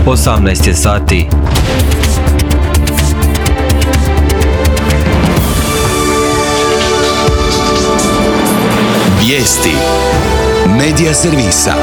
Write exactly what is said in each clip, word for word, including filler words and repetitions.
osamnaest je sati. Vijesti Medija servisa.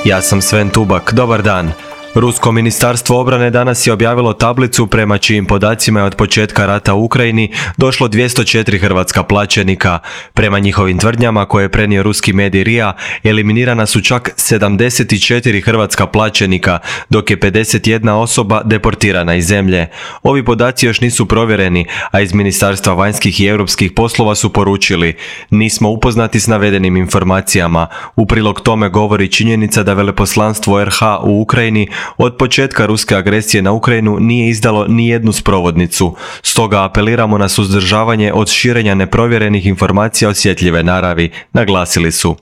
Ja sam Sven Tubak, dobar dan. Rusko ministarstvo obrane danas je objavilo tablicu prema čijim podacima je od početka rata u Ukrajini došlo dvjesto četiri hrvatska plaćenika. Prema njihovim tvrdnjama koje je prenio ruski medij R I A, eliminirana su čak sedamdeset četiri hrvatska plaćenika, dok je pedeset jedna osoba deportirana iz zemlje. Ovi podaci još nisu provjereni, a iz Ministarstva vanjskih i europskih poslova su poručili: nismo upoznati s navedenim informacijama. U prilog tome govori činjenica da veleposlanstvo R H u Ukrajini od početka ruske agresije na Ukrajinu nije izdalo ni jednu sprovodnicu. Stoga apeliramo na suzdržavanje od širenja neprovjerenih informacija osjetljive naravi, naglasili su.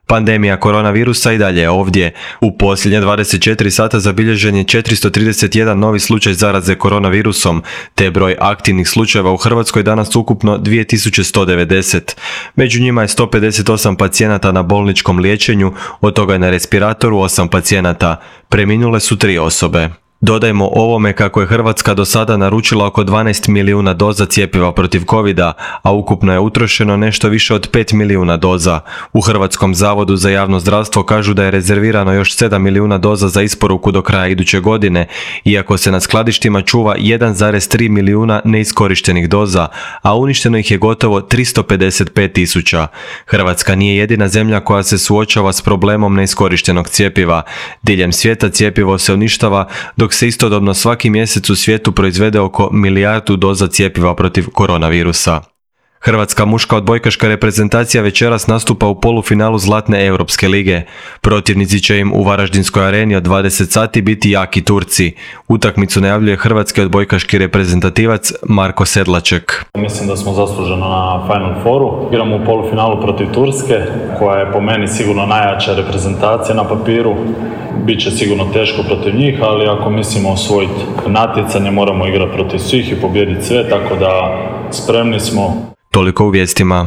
Pandemija koronavirusa i dalje je ovdje. U posljednje dvadeset četiri sata zabilježen je četiristo trideset jedan novi slučaj zaraze koronavirusom, te broj aktivnih slučajeva u Hrvatskoj danas ukupno dvije tisuće sto devedeset. Među njima je sto pedeset osam pacijenata na bolničkom liječenju, od toga je na respiratoru osam pacijenata. Preminule su tri osobe. Dodajmo ovome kako je Hrvatska do sada naručila oko dvanaest milijuna doza cjepiva protiv covida, a ukupno je utrošeno nešto više od pet milijuna doza. U Hrvatskom zavodu za javno zdravstvo kažu da je rezervirano još sedam milijuna doza za isporuku do kraja iduće godine, iako se na skladištima čuva jedan zarez tri milijuna neiskorištenih doza, a uništeno ih je gotovo tristo pedeset pet tisuća. Hrvatska nije jedina zemlja koja se suočava s problemom neiskorištenog cjepiva. Diljem svijeta cjepivo se uništava, dok se istodobno svaki mjesec u svijetu proizvede oko milijardu doza cjepiva protiv koronavirusa. Hrvatska muška odbojkaška reprezentacija večeras nastupa u polufinalu Zlatne europske lige. Protivnici će im u Varaždinskoj areni od dvadeset sati biti jaki Turci. Utakmicu najavljuje hrvatski odbojkaški reprezentativac Marko Sedlaček. Mislim da smo zasluženo na Final Fouru. Igramo u polufinalu protiv Turske, koja je po meni sigurno najjača reprezentacija na papiru. Biće sigurno teško protiv njih, ali ako mislimo osvojiti natjecanje, moramo igrati protiv svih i pobijediti sve, tako da spremni smo. Toliko u vijestima.